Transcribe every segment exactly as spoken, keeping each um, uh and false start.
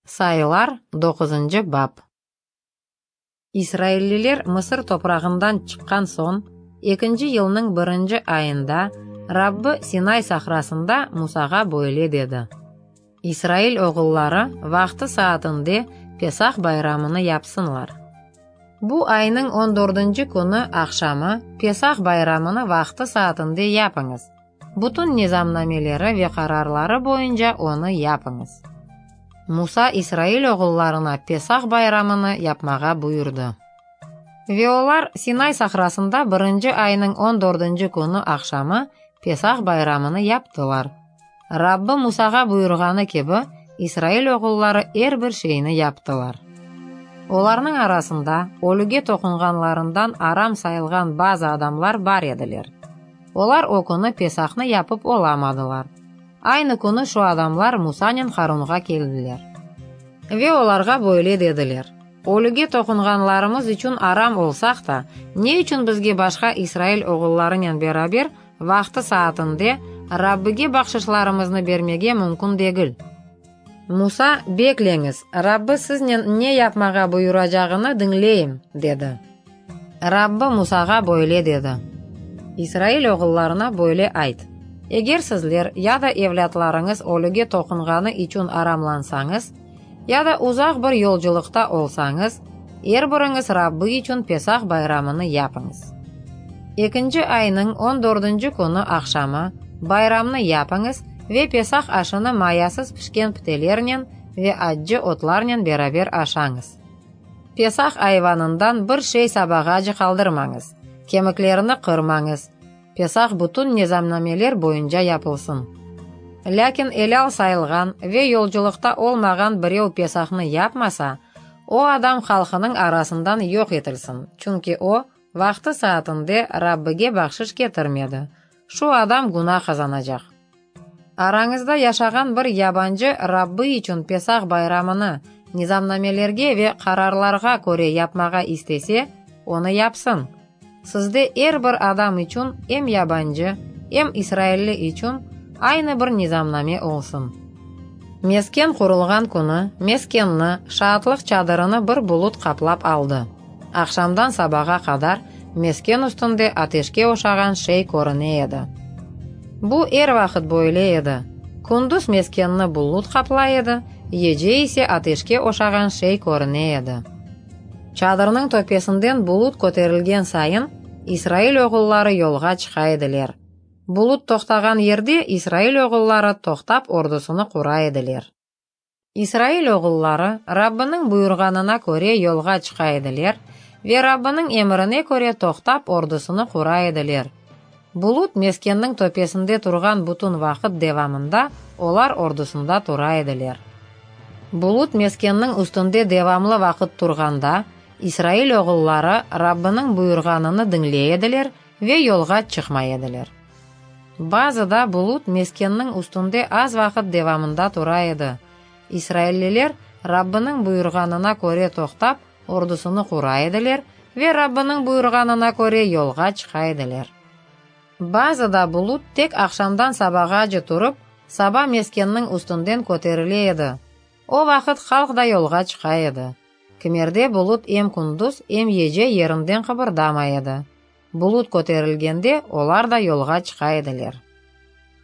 Sayılar, doquzıncı bap. İsrailliler Mısır toprağından çıqqan soñ, ekinci yılnıñ birinci ayında Rabbi Sinay sahrasında Musağa böyle dedi: İsrail oğulları vaqtı-saatinde Pesah bayramını yapsınlar. Bu aynıñ on dördünci künü aqşamı Pesah bayramını vaqtı-saatinde yapıñız. Bütün nizamnameleri ve qararları boyunca onı yapıñız. Musa İsrail oğullarına Pesah bayramını yapmağa buyurdı. Ve olar Sinay sahrasında birinci aynıñ on dördünci künü aqşamı Pesah bayramını yaptılar. Rabbi Musağa buyurğanı kibi, İsrail oğulları er bir şeyni yaptılar. Olarnıñ arasında ölüge toqunğanlarından aram sayılğan bazı adamlar bar ediler. Olar o künü Pesahnı yapıp olamadılar. Aynı künü şu adamlar Musanen Harunğa keldiler. Ve olarğa böyle dediler: Ölüge toqunğanlarımız içün aram olsaq da, ne içün bizge başqa İsrail oğullarınen beraber vaqtı-saatinde Rabbige bahşışlarımıznı bermege mümkün degil? Musa, Bekleñiz, Rabbi siznen ne yapmağa buyuracağını diñleyim, dedi. Rabbi Musağa böyle dedi: İsrail oğullarına böyle ayt: Eger sizler ya da evlâtlarıñız ölüge toqunğanı içün aramlansañız, ya da uzaq bir yolculıqta olsañız, er biriñiz Rabbi içün Pesah bayramını yapıñız. Ekinci aynıñ on dördünci künü aqşamı bayramnı yapıñız ve Pesah aşını mayasız pişken pitelernen ve accı otlarnen beraber aşañız. Pesah ayvanından bir şey sabağace qaldırmañız, kemiklerini qırmañız. Pesah bütün nizamnameler boyunca yapılsın. Lâkin elâl sayılğan ve yolculıqta olmağan birev Pesahnı yapmasa, o adam halqınıñ arasından yoq etilsin, çünki o, vaqtı-saatinde Rabbige bahşış ketirmedi. Şu adam günah qazanacaq. Arañızda yaşağan bir yabancı Rabbi içün Pesah bayramını nizamnamelerge ve qararlarğa köre yapmağa istese, onı yapsın. Sizde er bir adam içün, em yabancı, em israilli içün aynı bir nizamname olsun. Mesken qurulğan künü meskenni, şaatlıq çadırını bir bulut qaplap aldı. Aqşamdan sabağa qadar mesken üstünde ateşke oşağan şey körüne edi. Bu er vaqıt böyle edi. Kündüz meskenni bulut qaplay edi, gece ise ateşke oşağan şey körüne edi. Çadırnıñ töpesinden bulut köterilgen sayın, İsrail oğulları yolğa çıqa ediler. Bulut toqtağan yerde İsrail oğulları toqtap ordusını qura ediler. İsrail oğulları Rabbiniñ buyurğanına köre yolğa çıqa ediler ve Rabbiniñ emrine köre toqtap ordusını qura ediler. Bulut meskenniñ töpesinde turğan bütün vaqıt devamında olar ordusında tura ediler. Bulut meskenniñ üstünde devamlı vaqıt turğanda, İsrail oğulları Rabbiniñ buyurğanını diñley ediler ve yolğa çıqmay ediler. Bazıda bulut meskenniñ üstünde az vaqıt devamında tura edi. İsrailliler Rabbiniñ buyurğanına köre toqtap ordusını qura ediler ve Rabbiniñ buyurğanına köre yolğa çıqa ediler. Bazıda bulut tek aqşamdan sabağace turıp, saba meskenniñ üstünden köterile edi. O vaqıt halq da yolğa çıqa edi. Kimerde bulut em kündüz, em gece yerinden qıbırdamay edi. Bulut köterilgende olar da yolğa çıqa ediler.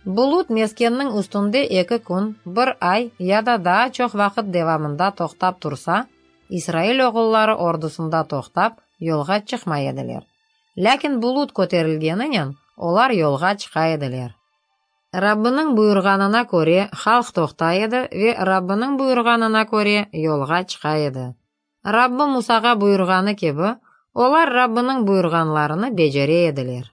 Bulut meskenniñ üstünde eki kün, bir ay ya da daa çoq vaqıt devamında toqtap tursa, İsrail oğulları ordusında toqtap yolğa çıqmay ediler. Lâkin bulut köterilgeninen olar yolğa çıqa ediler. Rabbiniñ buyurğanına köre halq toqtay edi ve Rabbiniñ buyurğanına köre yolğa çıqa edi. Rabbi Musağa buyurğanı kibi, olar Rabbiniñ buyurğanlarını becere ediler.